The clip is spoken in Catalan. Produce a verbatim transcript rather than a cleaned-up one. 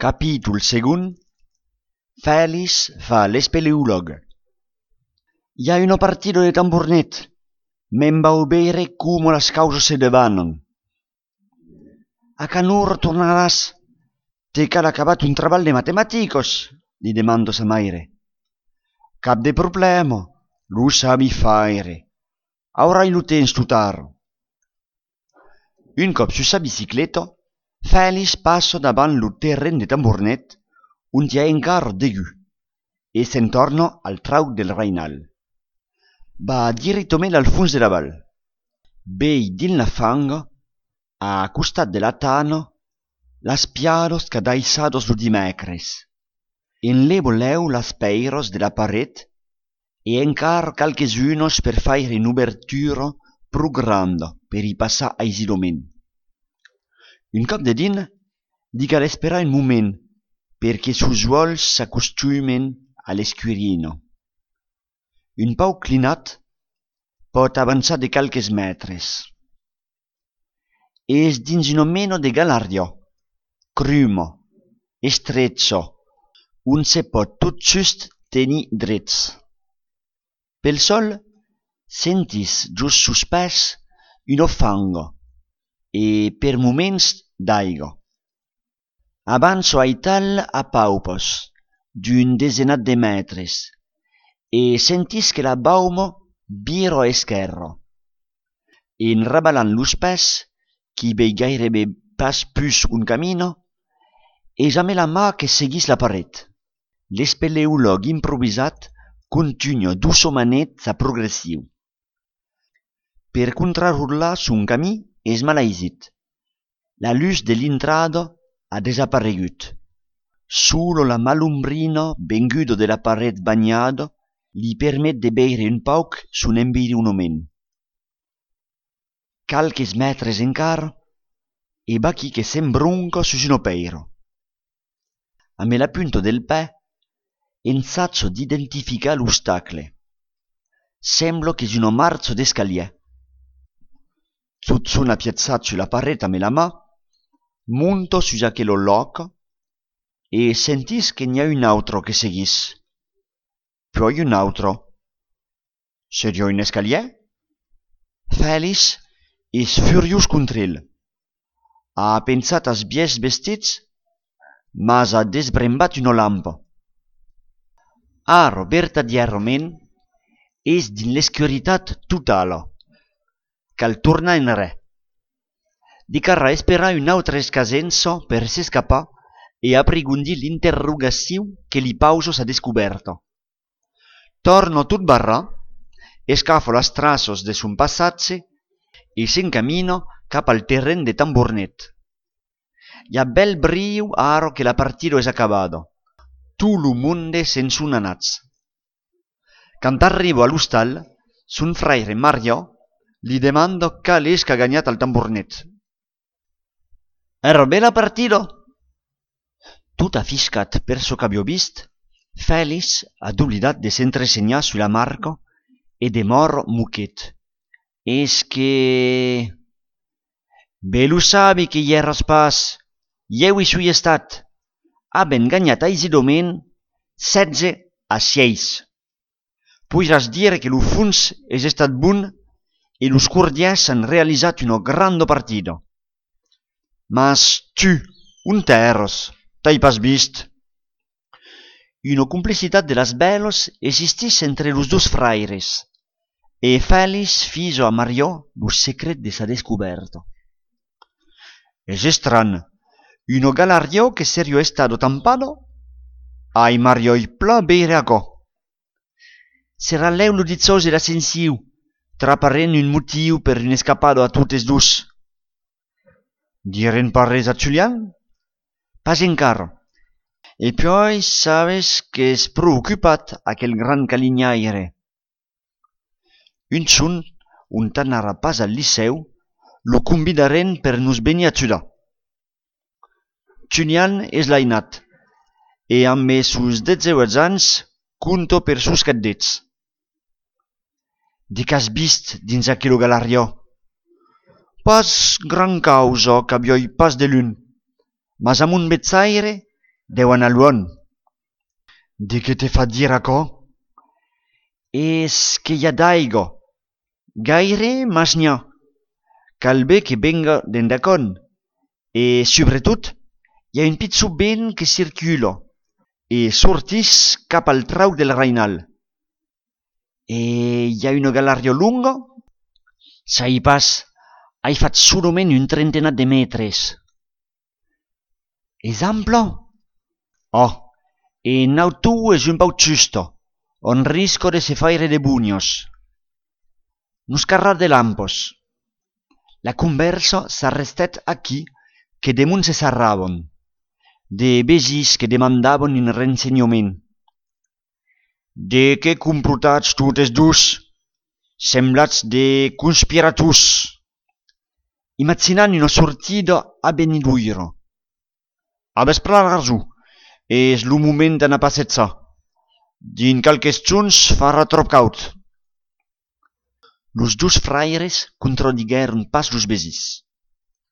Capítol segon. Fèlix fa l'espeleòleg. Hi ha una partida de tambornet. Me'n vau veure com les causes se devanen. A canur tornaràs? T'he cal acabat un treball de matemàticos, li demando sa maire. Cap de problema, lo sabi faire. Aurai lo temps tutar. Un cop su sa bicicleta, Fèlix passa davant lo terren de tambornet, on hi ha encara degu, e se'n torna al trau del Reinal. Va direttament al fons de la val. Vei din la fanga, a costat de la tana, las piados cadaissados lo dimecres. En le voleu las peiros de la paret e encara calchesunos per faire un'obertura pro granda per i passar aisidament. Un cop de din, li cal esperar un moment perché sus uols s'acostumen a l'escurina. Un pau clinat pot avançar de calques metres. És dins una mena de galeria, cruma, estretja, on se pot tot just tenir drets. Pel sol, sentis just suspès una fanga e per moments d'aigua. Avanço aital a paupes d'un desenat de metres e sentis que la bauma vira a esquerra. En rabalant los pès, qui vei gairebé pas plus un camino, e jamais la mà que seguís la paret. L'espeleòleg improvisat continua doucemanet sa progressiu. Per contrarrolar son camí és malaisit. La luz de l'intrada ha desaparegut. Solo la malumbrina venguda de la paret bagnada li permet de veure un pauc son environament. Calques metres encara, e baqui que s'embronca sus una peira. Amb la punta del pè, ensaccio d'identificar l'ostacle. Sembla che sia una marcia d'escalier. Tot son appiazzat sulla paret amb la mà, monta sus aquello loc e sentis que n'hi ha un altro que seguís. Poi un altro. Seria un escalier? Fèlix és furiós contra ell. Ha pensat als biais vestits, mas ha desbrembat una lampa. Ara, vertadierament, és dins l'escuritat totala. Cal tornar enrè. Dicarà esperar una altra escasença per s'escapar e aprigundir l'interrogació que li pausa sa descoberta. Torna tot barrà, escafa les traces de son passatge e s'encamina cap al terren de tambornet. Hi ha bel brio ara que la partida és acabada. Tot lo monde se'n son anats. Quand arriba a l'hostal, son fraire Maria li demanda cal és que ha guanyat el tambornet. Era bé la partida? Tot afiscat per so que havia vist, Fèlix ha oblidat de s'entresenyar su la marca e de mor moquet. És que... Bé lo sabi que hi erres pas. Jeu hi sui estat. Haben guanyat aisidament setze a seis. Podràs dir que lo fons és estat bon e los cordiers han realitzat una grande partida. Mas tu, on t'eres? T'hai pas vist? Una complicitat de las belos existís entre los dos fraires, e Fèlix fiso a Maria lo secret de sa descoberta. És estran, una galeria que serio estado tampada? Ai Maria i pla beire acá. Serà leu lo dizós e la sensiu, traparent un motiu per un escapado a totes dus. Diren pas res a Julian? Pas encara. E poi sabes que és preocupat aquel gran calignaire. Un son, on t'anarà pas al liceu, lo convidaren per nos venir a ajudar. Julian és l'ainat, e amb sus detzeuets anys conta per sus cadets. De qu'has vist dins aquella galeria? Pas gran causa qu'avioi pas de l'un, mas amb un bezzaire deuen a luon. De que te fa dir aquò? És que hi ha d'aigua. Gaire, mas n'hi ha. Cal bé que venga d'endacon. E, sobretot, hi ha un pitjor vent que circula e sortís cap al trau del Rainal. E hi ha una galeria lunga? Sai pas, hai fat solament un trentena de metres. És ampla? Oh, e nautu és un pau giusto, on risco de se faire de bugnos. Nus carrar de lampos. La conversa s'arrestet aquí que damunt se sarraven, de begis que demandaven un rensenyament. De què complotats totes dus, semblats de conspiratus, imaginant una sortida a Beniduiro. A vespre raso, és lo moment d'anar a passejar. Din calques junts farà trop caut. Los dos fraires contradigueren pas los begis.